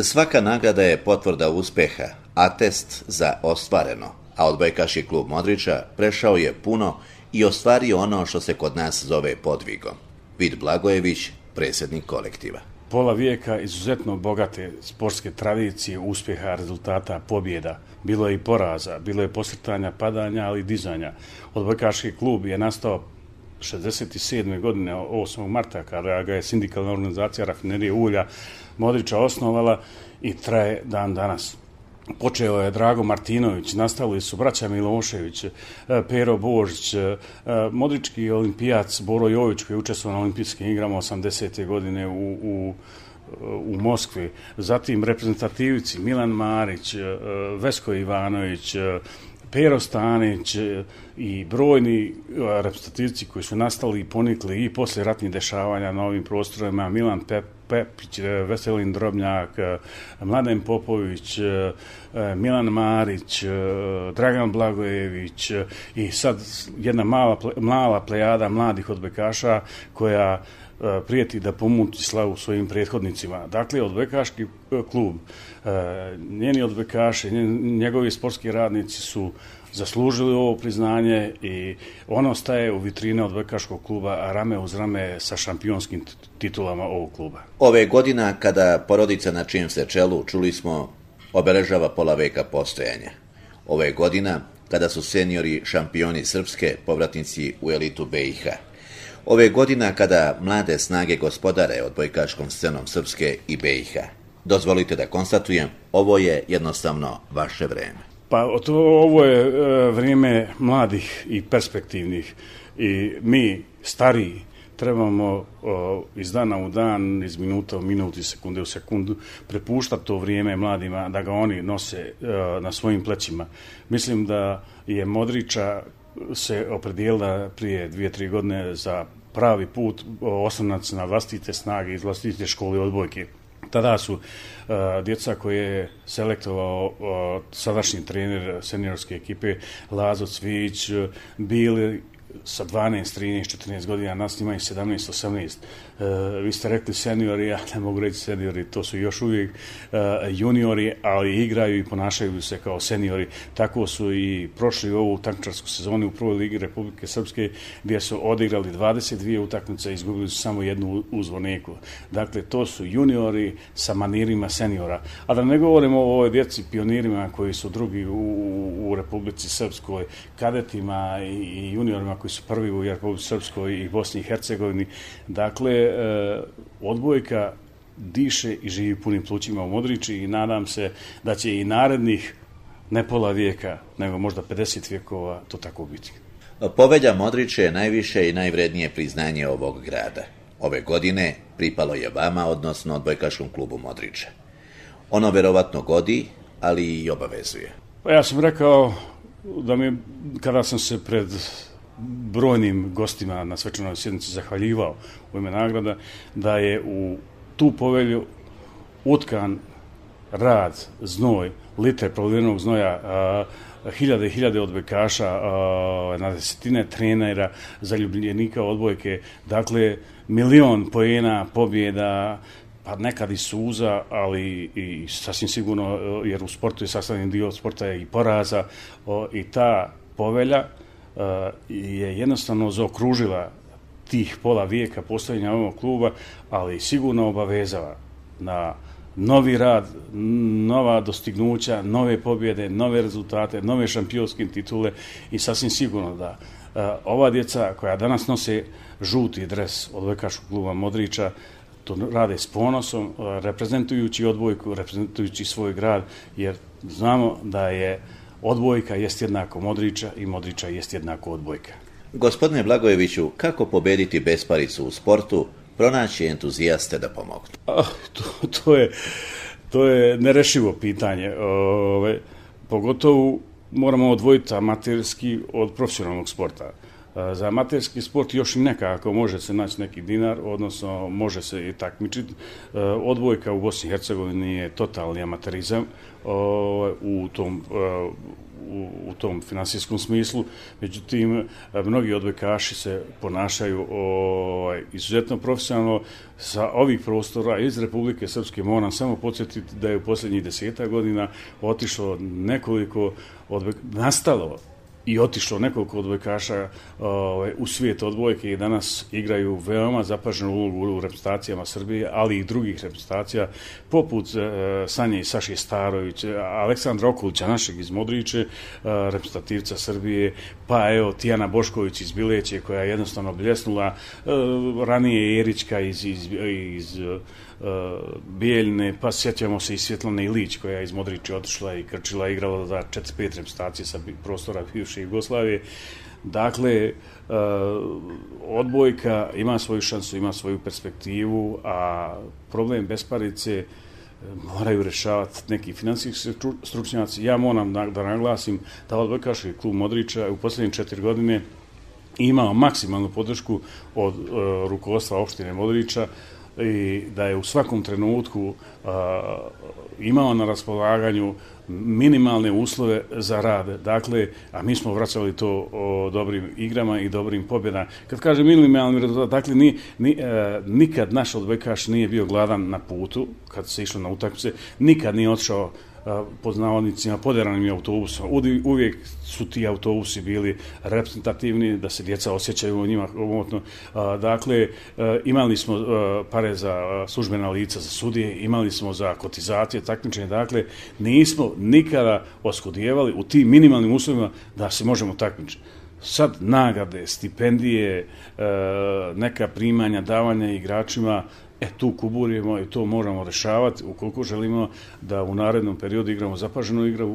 Svaka nagrada je potvrda uspeha, atest za ostvareno, a odbojkaški klub Modriča prešao je puno i ostvario ono što se kod nas zove podvigom. Vid Blagojević, predsjednik kolektiva. Pola vijeka izuzetno bogate sportske tradicije, uspjeha, rezultata, pobjeda. Bilo je i poraza, bilo je posrtanja, padanja, ali i dizanja. Odbojkaški klub je nastao 67. godine, 8. marta, kada ga je sindikalna organizacija Rafinerije ulja Modriča osnovala i traje dan danas. Počeo je Drago Martinović, nastavili su braća Milošević, Pero Božić, modrički olimpijac Boro Jović koji je učestvovao na olimpijskim igrama 80. godine u Moskvi, zatim reprezentativici Milan Marić, Vesko Ivanović, Pero Stanić i brojni reprezentativci koji su nastali i ponikli i poslije ratnih dešavanja na ovim prostorima, Milan Pepić, Veselin Drobnjak, Mladen Popović, Milan Marić, Dragan Blagojević i sad jedna mala plejada mladih odbojkaša koja prijeti da pomuti slavu svojim prethodnicima. Dakle, odbojkaški klub, njeni odbojkaši, njegovi sportski radnici su zaslužili ovo priznanje i ono staje u vitrine odbojkaškog kluba rame uz rame sa šampionskim titulama ovog kluba. Ove godina kada porodica na čijem se čelu, čuli smo, obeležava pola veka postojanja. Ove godina kada su seniori šampioni Srpske, povratnici u elitu BiH. Ove godina kada mlade snage gospodare odbojkaškom scenom Srpske i BiH. Dozvolite da konstatujem, ovo je jednostavno vaše vreme. Pa ovo je vrijeme mladih i perspektivnih i mi, stariji, trebamo iz dana u dan, iz minuta u minut, iz sekunde u sekundu prepuštati to vrijeme mladima da ga oni nose na svojim plećima. Mislim da je Modriča se opredijelila prije 2-3 godine za pravi put, oslonac na vlastite snage iz vlastite škole odbojke. Tada su djeca koje je selektovao sadašnji trener seniorske ekipe Lazo Cvijić bili sa 12, 13, 14 godina, nas imaju 17, 18. Vi ste rekli seniori, ja ne mogu reći seniori, to su još uvijek juniori, ali igraju i ponašaju se kao seniori. Tako su i prošli ovu takmičarsku sezonu u prvoj ligi Republike Srpske, gdje su odigrali 22 utakmice i izgubili su samo jednu u Zvorniku. Dakle, to su juniori sa manirima seniora. A da ne govorimo o ovoj djeci pionirima koji su drugi u Republici Srpskoj, kadetima i juniorima koji su prvi u Republici Srpskoj i Bosni i Hercegovini. Dakle, odbojka diše i živi punim plućima u Modriči i nadam se da će i narednih ne pola vijeka, nego možda 50 vijekova to tako biti. Povelja Modrića je najviše i najvrednije priznanje ovog grada. Ove godine pripalo je vama, odnosno odbojkaškom klubu Modriča. Ono verovatno godi, ali i obavezuje. Pa ja sam rekao da mi, kada sam se pred brojnim gostima na svečanoj sjednici zahvaljivao u ime nagrada, da je u tu povelju utkan rad, znoj, litre prolivenog znoja, hiljade i hiljade odbojkaša, na desetine trenera, zaljubljenika odbojke, dakle milion poena, pobjeda, pa nekad i suza, ali i sasvim sigurno, jer u sportu je sastavni dio sporta je i poraza, i ta povelja je jednostavno zaokružila tih pola vijeka postojanja ovog kluba, ali sigurno obavezava na novi rad, nova dostignuća, nove pobjede, nove rezultate, nove šampionske titule i sasvim sigurno da ova djeca koja danas nose žuti dres odbojkaškog kluba Modriča to rade s ponosom, reprezentujući odbojku, reprezentujući svoj grad, jer znamo da je odbojka jest jednako Modriča i Modriča jest jednako odbojka. Gospodine Blagojeviću, kako pobediti besparicu u sportu, pronaći entuzijaste da pomognu? To je nerešivo pitanje. Pogotovo moramo odvojiti amaterski od profesionalnog sporta. Za amaterski sport još i nekako može se naći neki dinar, odnosno može se i takmičiti. Odbojka u Bosni i Hercegovini je totalni amaterizam u tom finansijskom smislu, međutim, mnogi odbojkaši se ponašaju izuzetno profesionalno. Sa ovih prostora iz Republike Srpske moram samo podsjetiti da je u posljednjih 10 godina otišlo nekoliko nastalo i otišlo nekoliko odbojkaša u svijet odbojke i danas igraju veoma zapaženu ulogu u reprezentacijama Srbije, ali i drugih reprezentacija, poput Sanje i Saše Starovića, Aleksandra Okulića, našeg iz Modriče, reprezentativca Srbije, pa evo Tijana Bošković iz Bileće, koja je jednostavno bljesnula, ranije Erićka iz Bijeljne, pa sjećamo se i Svjetlane Ilić, koja je iz Modriče otišla i krčila, igrala za 4-5 reprezentacije sa prostora bivše Jugoslavije. Dakle, odbojka ima svoju šansu, ima svoju perspektivu, a problem besparice moraju rješavati neki finansijski stručnjaci. Ja moram da naglasim da odbojkaški klub Modriča u posljednje 4 godine imao maksimalnu podršku od rukovodstva opštine Modriča i da je u svakom trenutku imao na raspolaganju minimalne uslove za rad. Dakle, a mi smo vraćali to dobrim igrama i dobrim pobjedama. Kad kažem minimalni rezultat, dakle, nikad naš odbojkaš nije bio gladan na putu, kad se išlo na utakmice, nikad nije otišao pod navodnicima poderanim autobusom. Uvijek su ti autobusi bili reprezentativni, da se djeca osjećaju u njima komotno. Dakle, imali smo pare za službena lica, za sudije, imali smo za kotizacije, takmičenje. Dakle, nismo nikada oskudijevali u tim minimalnim uslovima da se možemo takmičiti. Sad nagrade, stipendije, neka primanja, davanja igračima, tu kuburimo i to moramo rešavati ukoliko želimo da u narednom periodu igramo zapaženu igru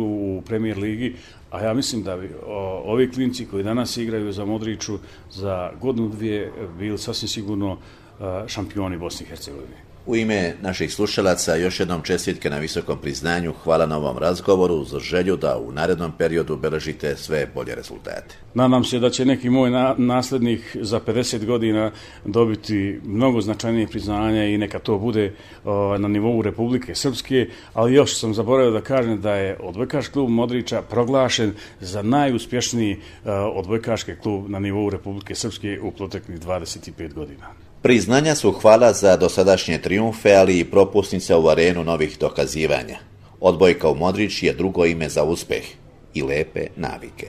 u Premier ligi, a ja mislim da bi ovi klinci koji danas igraju za Modriču za godinu dvije bili sasvim sigurno šampioni Bosne i Hercegovine. U ime naših slušalaca još jednom čestitke na visokom priznanju, hvala na ovom razgovoru, za želju da u narednom periodu beležite sve bolje rezultate. Nadam se da će neki moj naslednik za 50 godina dobiti mnogo značajnije priznanja i neka to bude na nivou Republike Srpske, ali još sam zaboravio da kažem da je odbojkaški klub Modriča proglašen za najuspješniji odbojkaški klub na nivou Republike Srpske u proteklih 25 godina. Priznanja su hvala za dosadašnje trijumfe, ali i propusnica u arenu novih dokazivanja. Odbojka u Modrič je drugo ime za uspeh i lepe navike.